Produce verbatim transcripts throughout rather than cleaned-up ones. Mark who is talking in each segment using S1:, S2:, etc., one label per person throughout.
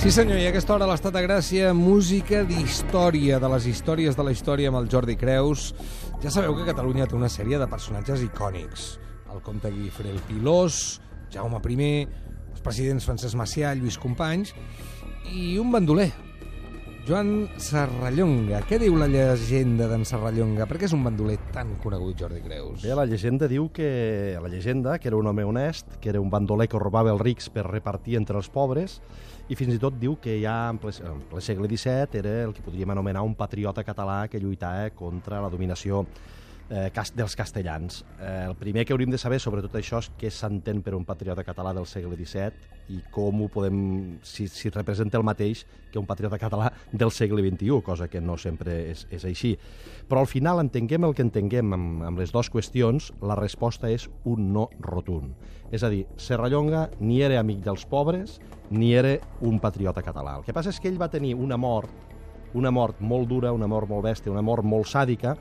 S1: Sí senyor, i a aquesta hora a l'Estat de Gràcia, música d'història, de les històries de la història amb el Jordi Creus. Ja sabeu que Catalunya té una sèrie de personatges icònics. El comte Guifré el Pilós, Jaume primer, els presidents Francesc Macià, Lluís Companys i un bandoler, Joan Serrallonga. Què diu la llegenda d'en Serrallonga? Per què és un bandoler tan conegut, Jordi Creus?
S2: Bé, la llegenda diu que la llegenda que era un home honest, que era un bandoler que robava els rics per repartir entre els pobres, i fins i tot diu que ja en ple, en ple segle disset era el que podríem anomenar un patriota català que lluitava contra la dominació eh, dels castellans. Eh, el primer que hauríem de saber sobre tot això és què s'entén per un patriota català del segle disset i com ho podem, si, si representa el mateix que un patriota català del segle vint-i-u, cosa que no sempre és, és així. Però al final, entenguem el que entenguem amb, amb les dues qüestions, la resposta és un no rotund. És a dir, Serrallonga ni era amic dels pobres ni era un patriota català. El que passa és que ell va tenir una mort, una mort molt dura, una mort molt bèstia, una mort molt sàdica,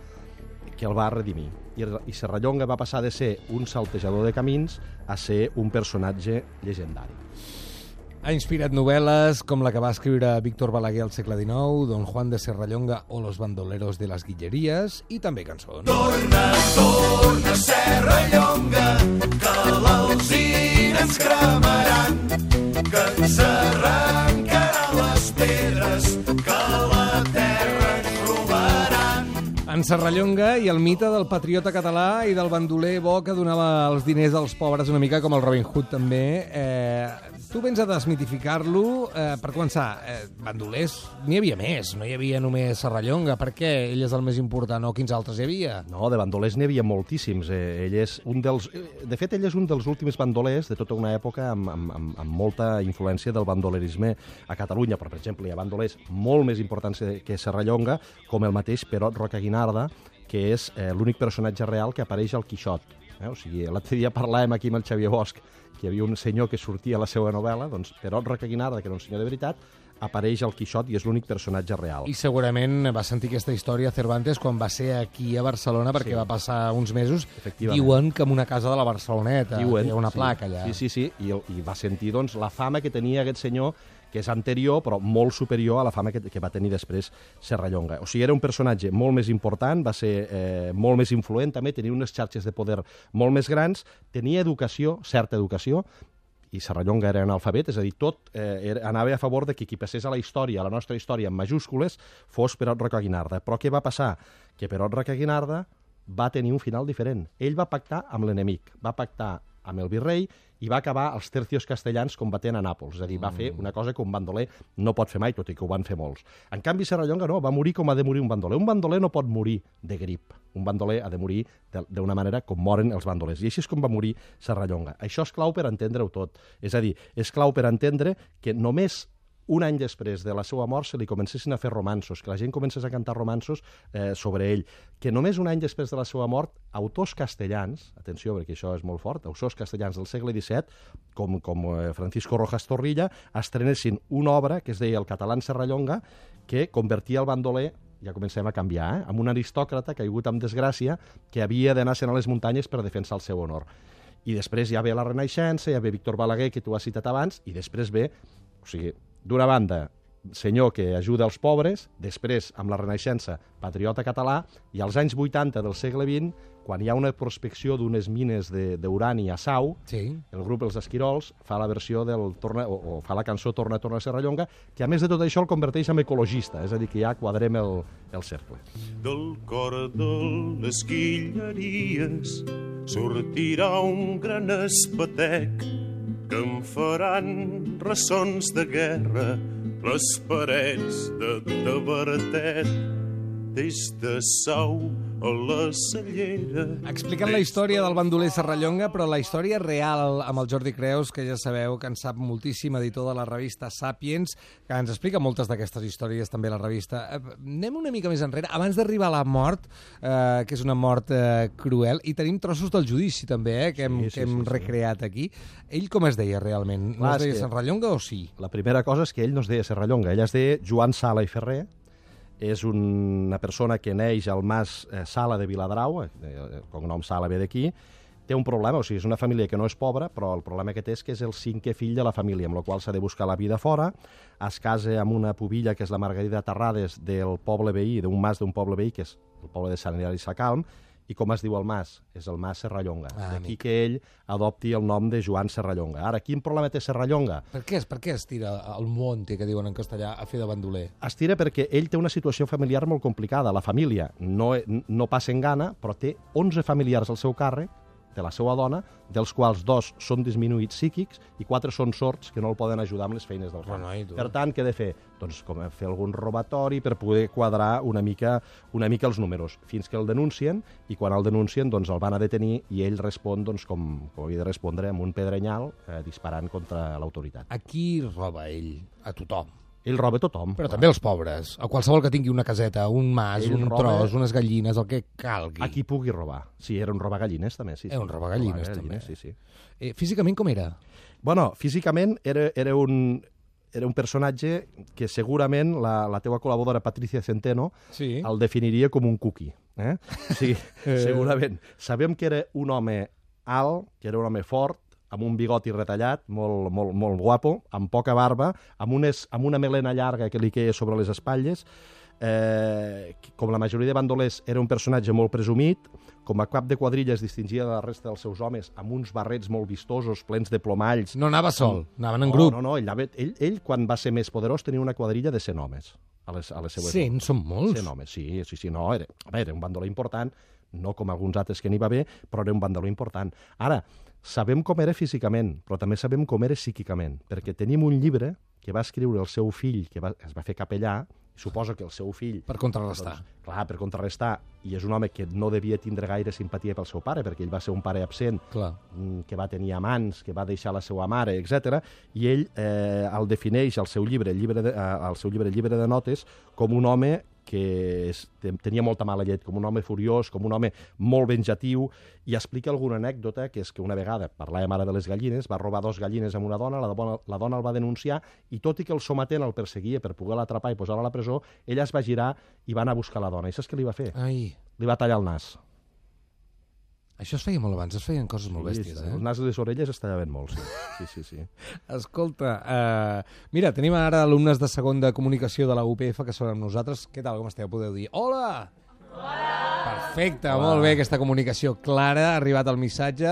S2: que el va redimir. I, i Serrallonga va passar de ser un saltejador de camins a ser un personatge llegendari.
S1: Ha inspirat novel·les com la que va escriure Víctor Balaguer al segle dinou, Don Juan de Serrallonga o Los bandoleros de las Guillerías, i també cançons.
S3: Torna, torna, Serrallonga, que l'alzina ens cremaran, que ens arrencaran les pedres, que la terra ens robaran.
S1: En Serrallonga i el mite del patriota català i del bandoler bo que donava els diners als pobres, una mica com el Robin Hood també. Eh, tu vens a desmitificar-lo. Eh, per començar, eh, bandolers n'hi havia més, no hi havia només Serrallonga. Per què ell és el més important o quins altres hi havia?
S2: No, de bandolers n'hi havia moltíssims. Eh, ell és un dels... De fet, ell és un dels últims bandolers de tota una època amb, amb, amb, amb molta influència del bandolerisme a Catalunya. Però, per exemple, hi ha bandolers molt més importants que Serrallonga, com el mateix Perot Rocaguinarda, que és eh, l'únic personatge real que apareix al Quixot. Eh? O sigui, l'altre dia parlàvem aquí amb el Xavier Bosch, que hi havia un senyor que sortia a la seva novel·la, doncs Perot Rocaguinarda, que era un senyor de veritat, apareix al Quixot i és l'únic personatge real.
S1: I segurament va sentir aquesta història Cervantes quan va ser aquí a Barcelona, perquè sí. va passar uns mesos, diuen que en una casa de la Barceloneta, diuen, hi ha una
S2: sí.
S1: placa allà.
S2: Sí, sí, sí, i, i va sentir doncs, la fama que tenia aquest senyor, que és anterior, però molt superior a la fama que, que va tenir després Serrallonga. O sigui, era un personatge molt més important, va ser eh, molt més influent, també tenia unes xarxes de poder molt més grans, tenia educació, certa educació, i Serrallonga era analfabet, és a dir, tot eh, era, anava a favor de que qui passés a la història, a la nostra història, en majúscules, fos Perot Rocaguinarda. Però què va passar? Que Perot Rocaguinarda va tenir un final diferent. Ell va pactar amb l'enemic, va pactar amb el virrei i va acabar els tercios castellans combatent a Nàpols. És a dir, va fer una cosa que un bandoler no pot fer mai, tot i que ho van fer molts. En canvi, Serrallonga no, va morir com ha de morir un bandoler. Un bandoler no pot morir de grip. Un bandoler ha de morir d'una manera com moren els bandolers. I així és com va morir Serrallonga. Això és clau per entendre-ho tot. És a dir, és clau per entendre que només un any després de la seva mort se li comencessin a fer romanços, que la gent comencés a cantar romanços eh, sobre ell, que només un any després de la seva mort, autors castellans, atenció perquè això és molt fort, autors castellans del segle disset, com, com eh, Francisco Rojas Torrilla, estrenessin una obra que es deia El català en Serrallonga, que convertia el bandoler, ja comencem a canviar, eh, amb un aristòcrata caigut amb desgràcia que havia d'anar-se'n a les muntanyes per defensar el seu honor. I després ja ve la Renaixença, ja ve Víctor Balaguer, que tu has citat abans, i després ve, o sigui, d'una banda, senyor que ajuda els pobres, després, amb la Renaixença, patriota català, i als anys vuitanta del segle vint, quan hi ha una prospecció d'unes mines d'urani a Sau, sí. el grup Els Esquirols fa la versió del torna, o, o fa la cançó Torna, torna a Serrallonga, que a més de tot això el converteix en ecologista, és a dir, que ja quadrem el, el cercle.
S3: Del cor de les Guilleries sortirà un gran espatec que em faran ressons de guerra les parets de Tavertet des de Sau a la Cellera.
S1: Explicant la història del bandoler Serrallonga, però la història real amb el Jordi Creus, que ja sabeu que en sap moltíssim, editor de la revista Sàpiens, que ens explica moltes d'aquestes històries també a la revista. Anem una mica més enrere, abans d'arribar a la mort, eh, que és una mort eh, cruel, i tenim trossos del judici també, eh, que hem, sí, sí, que hem sí, recreat sí. aquí. Ell com es deia realment? No Clar, es deia Serrallonga o sí?
S2: La primera cosa és que ell no es deia Serrallonga, ell es deia Joan Sala i Ferrer, és una persona que neix al mas eh, Sala de Viladrau, eh, el cognom Sala ve d'aquí, té un problema, o sigui, és una família que no és pobra, però el problema que té és que és el cinquè fill de la família, amb la qual s'ha de buscar la vida fora, es casa amb una pubilla, que és la Margarida Terrades, del poble veí, d'un mas d'un poble veí, que és el poble de Sant Hilari Sacalm, i com es diu el mas? És el mas Serrallonga. Ah, d'aquí amic. Que ell adopti el nom de Joan Serrallonga. Ara, quin problema té Serrallonga?
S1: Per què, per què es tira al monte, que diuen en castellà, a fer de bandoler?
S2: Es tira perquè ell té una situació familiar molt complicada. La família no, no passa en gana, però té onze familiars al seu càrrec, de la seva dona, dels quals dos són disminuïts psíquics i quatre són sords que no el poden ajudar amb les feines del camp.
S1: Bueno,
S2: per tant, què ha de fer? Doncs com fer algun robatori per poder quadrar una mica, una mica els números, fins que el denuncien, i quan el denuncien doncs el van a detenir i ell respon doncs, com, com havia de respondre amb un pedrenyal eh, disparant contra l'autoritat.
S1: A qui roba ell? A tothom.
S2: Ell roba tothom.
S1: Però també els pobres, a qualsevol que tingui una caseta, un mas, ell un roba... tros, unes gallines, el que calgui.
S2: A qui pugui robar. Sí, era un robagallines també. Sí, sí.
S1: Era un robagallines també.
S2: Sí, sí.
S1: Eh, físicament com era?
S2: Bueno, físicament era, era, un, era un personatge que segurament la, la teua col·laboradora Patricia Centeno sí. el definiria com un cookie. Eh? Sí, segurament. Sabem que era un home alt, que era un home fort, amb un bigoti retallat, molt, molt, molt guapo, amb poca barba, amb, unes, amb una melena llarga que li queia sobre les espatlles. Eh, com la majoria de bandolers, era un personatge molt presumit, com a cap de quadrilla es distingia de la resta dels seus homes, amb uns barrets molt vistosos, plens de plomalls.
S1: No anava sol, amb... anaven en
S2: no,
S1: grup.
S2: No, no, ell, anava... ell, ell, quan va ser més poderós, tenia una quadrilla de cent homes. A les, a les seues
S1: cent? Són molts?
S2: cent homes, sí, sí, sí, no, era, a veure, era un bandoler important, no com alguns altres que n'hi va bé, però era un bandoler important. Ara, sabem com era físicament, però també sabem com era psíquicament, perquè tenim un llibre que va escriure el seu fill, que va, es va fer capellà, i suposo que el seu fill...
S1: Per contrarrestar.
S2: Doncs, clar, per contrarrestar, i és un home que no devia tindre gaire simpatia pel seu pare, perquè ell va ser un pare absent, clar. Que va tenir amants, que va deixar la seva mare, etcètera, i ell eh, el defineix al seu llibre, el llibre de, al seu llibre, el llibre de notes, com un home que es, tenia molta mala llet, com un home furiós, com un home molt venjatiu, i explica alguna anècdota, que és que una vegada, parlàvem ara de les gallines, va robar dos gallines amb una dona, la dona, la dona el va denunciar, i tot i que el sometent el perseguia per poder l'atrapar i posar-lo a la presó, ella es va girar i va anar a buscar la dona. I saps què li va fer?
S1: Ai.
S2: Li va tallar el nas.
S1: Això es feia molt abans, es feien coses molt
S2: sí,
S1: bèsties, eh?
S2: El nas i les orelles es tallaven molt, sí. sí, sí, sí.
S1: Escolta, uh, mira, tenim ara alumnes de segon de comunicació de la U P F que són amb nosaltres. Què tal, com esteu? Podeu dir hola! Hola! Perfecte, hola. Molt bé, aquesta comunicació clara, ha arribat el missatge.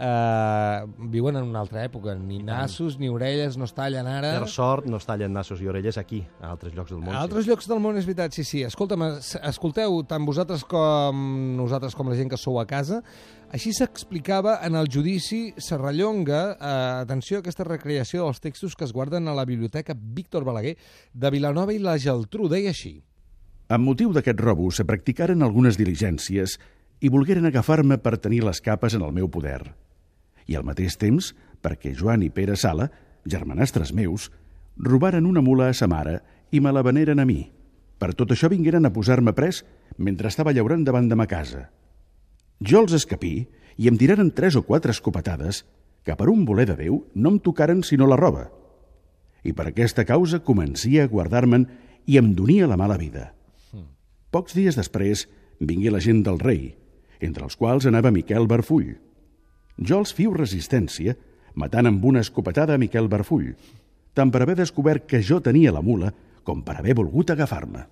S1: Uh, viuen en una altra època, ni nassos ni orelles no es tallen ara.
S2: Per sort no es tallen nassos i orelles aquí, a altres llocs del món.
S1: A altres sí. llocs del món, és veritat, sí, sí. Escolta'm, escolteu, tant vosaltres com nosaltres, com la gent que sou a casa, així s'explicava en el judici Serrallonga, eh, atenció a aquesta recreació dels textos que es guarden a la Biblioteca Víctor Balaguer de Vilanova i la Geltrú, deia així.
S4: Amb motiu d'aquest robo se practicaren algunes diligències i volgueren agafar-me per tenir les capes en el meu poder. I al mateix temps, perquè Joan i Pere Sala, germanastres meus, robaren una mula a sa mare i me la veneren a mi. Per tot això vingueren a posar-me pres mentre estava llaurant davant de ma casa. Jo els escapí i em tiraren tres o quatre escopetades que per un voler de Déu no em tocaren sinó la roba. I per aquesta causa comencia a guardar-me'n i em donia la mala vida. Pocs dies després vingué la gent del rei, entre els quals anava Miquel Barfull. Jo els fiu resistència, matant amb una escopetada a Miquel Barfull, tant per haver descobert que jo tenia la mula com per haver volgut agafar-me.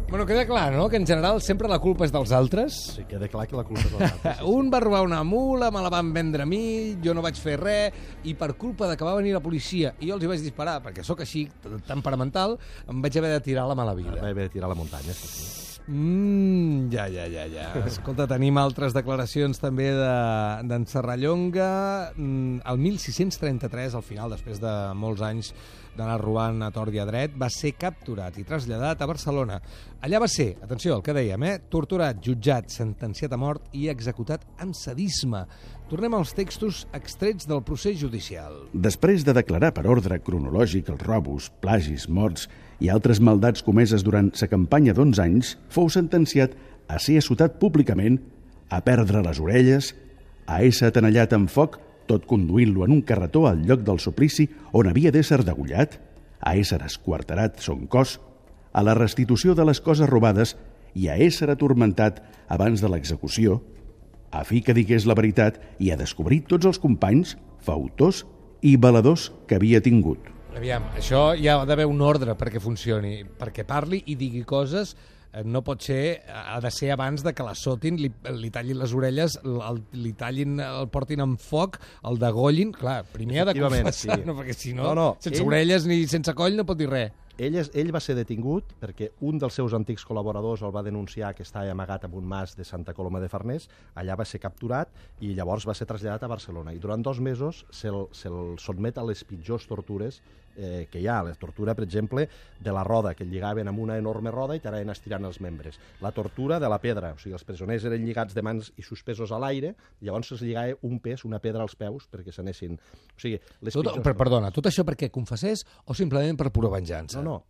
S1: Bueno, queda clar, no?, que en general sempre la culpa és dels altres.
S2: Sí, queda clar que la culpa és dels altres. Sí, sí.
S1: Un va robar una mula, me la van vendre a mi, jo no vaig fer res, i per culpa de que va venir la policia i jo els hi vaig disparar, perquè sóc així, temperamental, em vaig haver de tirar la mala vida.
S2: Vaig haver de tirar la muntanya, sí, sí.
S1: Mm, ja, ja, ja, ja. Escolta, tenim altres declaracions també d'en de, Serrallonga. El mil sis-cents trenta-tres, al final, després de molts anys d'anar robant a tort i a dret, va ser capturat i traslladat a Barcelona. Allà va ser, atenció al que dèiem, eh? torturat, jutjat, sentenciat a mort i executat amb sadisme. Tornem als textos extrets del procés judicial.
S4: Després de declarar per ordre cronològic els robos, plagis, morts i altres maldats comeses durant sa campanya d'onze anys, fou sentenciat a ser assotat públicament, a perdre les orelles, a ésser atenellat amb foc, tot conduint-lo en un carretó al lloc del suplici on havia d'ésser degollat, a ésser esquarterat son cos, a la restitució de les coses robades i a ésser atormentat abans de l'execució, a fi que digués la veritat i a descobrir tots els companys, fautors i baladors que havia tingut.
S1: Aviam, això hi ha d'haver un ordre perquè funcioni, perquè parli i digui coses. No pot ser, ha de ser abans de que la sotin, li, li tallin les orelles, el, li tallin, el portin amb foc, el degollin. Clar, primer ha de confessar, sí. No, perquè si no, no, no sense ell, orelles ni sense coll no pot dir res.
S2: Ell, és, ell va ser detingut perquè un dels seus antics col·laboradors el va denunciar que estava amagat en un mas de Santa Coloma de Farners, allà va ser capturat i llavors va ser traslladat a Barcelona. I durant dos mesos se'l se sotmet a les pitjors tortures eh, que hi ha. La tortura, per exemple, de la roda, que el lligaven amb una enorme roda i t'anaven estirant els membres. La tortura de la pedra, o sigui, els presoners eren lligats de mans i suspesos a l'aire, llavors es lligava un pes, una pedra als peus perquè s'anessin... O sigui, les
S1: tot,
S2: pitjors...
S1: per, perdona, tot això perquè confessés o simplement per pura venjança?
S2: No, no,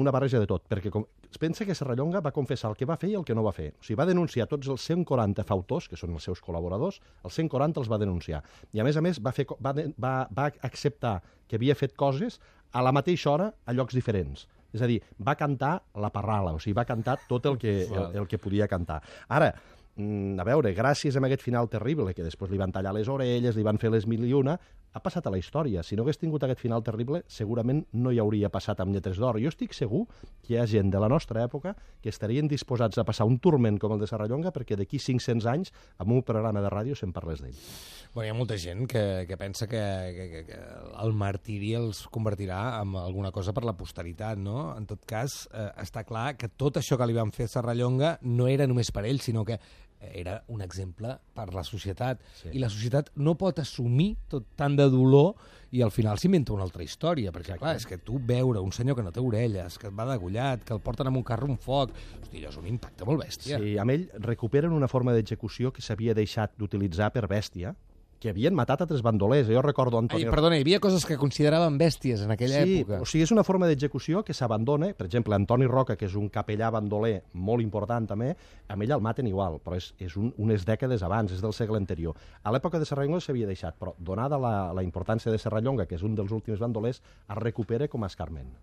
S2: una barreja de tot, perquè com... es pensa que Serrallonga va confessar el que va fer i el que no va fer. O sigui, va denunciar tots els cent quaranta fautors, que són els seus col·laboradors, els cent quaranta els va denunciar. I a més a més va, fer, va, va, va acceptar que havia fet coses a la mateixa hora a llocs diferents. És a dir, va cantar la parrala, o sigui, va cantar tot el que, el, el que podia cantar. Ara, a veure, gràcies a aquest final terrible, que després li van tallar les orelles, li van fer les mil i una, ha passat a la història. Si no hagués tingut aquest final terrible, segurament no hi hauria passat amb lletres d'or. Jo estic segur que hi ha gent de la nostra època que estarien disposats a passar un turment com el de Serrallonga perquè d'aquí cinc-cents anys, amb un programa de ràdio, se'n parlés d'ell.
S1: Bueno, hi ha molta gent que, que pensa que, que, que, que el martiri els convertirà en alguna cosa per la posteritat, no? En tot cas, eh, està clar que tot això que li van fer a Serrallonga no era només per ell, sinó que era un exemple per la societat. Sí. I la societat no pot assumir tot tant de dolor i al final s'inventa una altra història, perquè clar, és que tu veure un senyor que no té orelles, que et va degollat, que el porten amb un carro un foc, hosti, allò és un impacte molt bèstia.
S2: Sí, amb ell recuperen una forma d'execució que s'havia deixat d'utilitzar per bèstia, que havien matat altres bandolers. Jo recordo Antoni...
S1: Ai, perdona, hi havia coses que consideraven bèsties en aquella
S2: sí,
S1: època.
S2: O sigui, és una forma d'execució que s'abandona. Per exemple, Antoni Roca, que és un capellà bandoler molt important també, amb ell el maten igual, però és, és un, unes dècades abans, és del segle anterior. A l'època de Serrallonga s'havia deixat, però donada la, la importància de Serrallonga, que és un dels últims bandolers, es recupera com a escarment.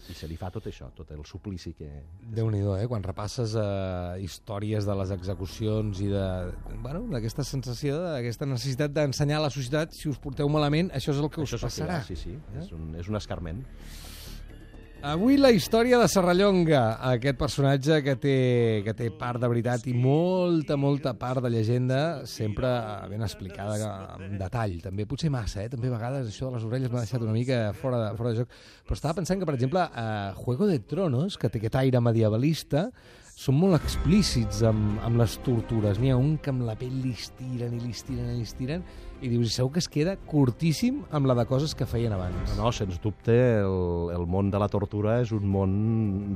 S2: I se li fa tot això, tot el suplici que...
S1: Déu-n'hi-do, eh? Quan repasses eh, històries de les execucions i de, bueno, d'aquesta sensació, d'aquesta necessitat d'ensenyar a la societat, si us porteu malament, això és el que
S2: això
S1: us passarà.
S2: Sí, sí, eh? és, un, és un escarment.
S1: Avui la història de Serrallonga, aquest personatge que té, que té part de veritat i molta, molta part de llegenda, sempre ben explicada en detall. També potser massa, eh? També a vegades això de les orelles m'ha deixat una mica fora de, fora de joc. Però estava pensant que, per exemple, a Juego de Tronos, que té aquest aire medievalista, són molt explícits amb, amb les tortures. N'hi ha un que amb la pell li estiren i li estiren i li estiren i dius, segur que es queda curtíssim amb la de coses que feien abans.
S2: No, no, sens dubte, el, el món de la tortura és un món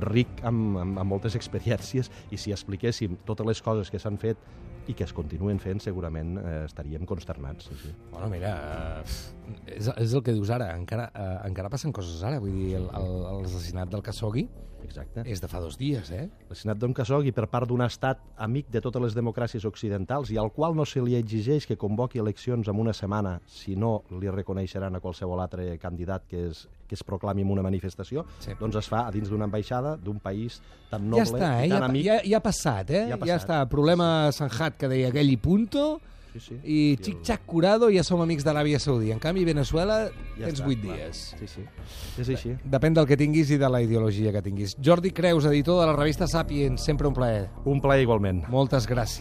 S2: ric amb, amb, amb moltes experiències i si expliquéssim totes les coses que s'han fet i que es continuen fent, segurament eh, estaríem consternats. Sí, sí.
S1: Bueno, mira, eh, és, és el que dius ara, encara, eh, encara passen coses ara, vull dir, l'assassinat del Khashoggi
S2: Exacte.
S1: És de fa dos dies, eh?
S2: L'assassinat d'un Khashoggi per part d'un estat amic de totes les democràcies occidentals i al qual no se li exigeix que convoqui eleccions en una setmana, si no li reconeixeran a qualsevol altre candidat que es, que es proclami en una manifestació, sí. Doncs es fa a dins d'una ambaixada d'un país tan noble
S1: ja està, eh?
S2: i tan
S1: ja,
S2: amic.
S1: Ja, ja ha passat, eh?
S2: Ja, ha passat.
S1: Ja està, problema Sanjat que deia aquell i punto,
S2: sí, sí.
S1: i xic-xac curado, ja som amics d'Aràbia Saudí. En canvi, Venezuela
S2: ja
S1: tens
S2: està,
S1: vuit
S2: clar.
S1: dies.
S2: Sí, sí. És així.
S1: Depèn del que tinguis i de la ideologia que tinguis. Jordi Creus, editor de la revista Sapiens, sempre un plaer.
S2: Un plaer igualment.
S1: Moltes gràcies.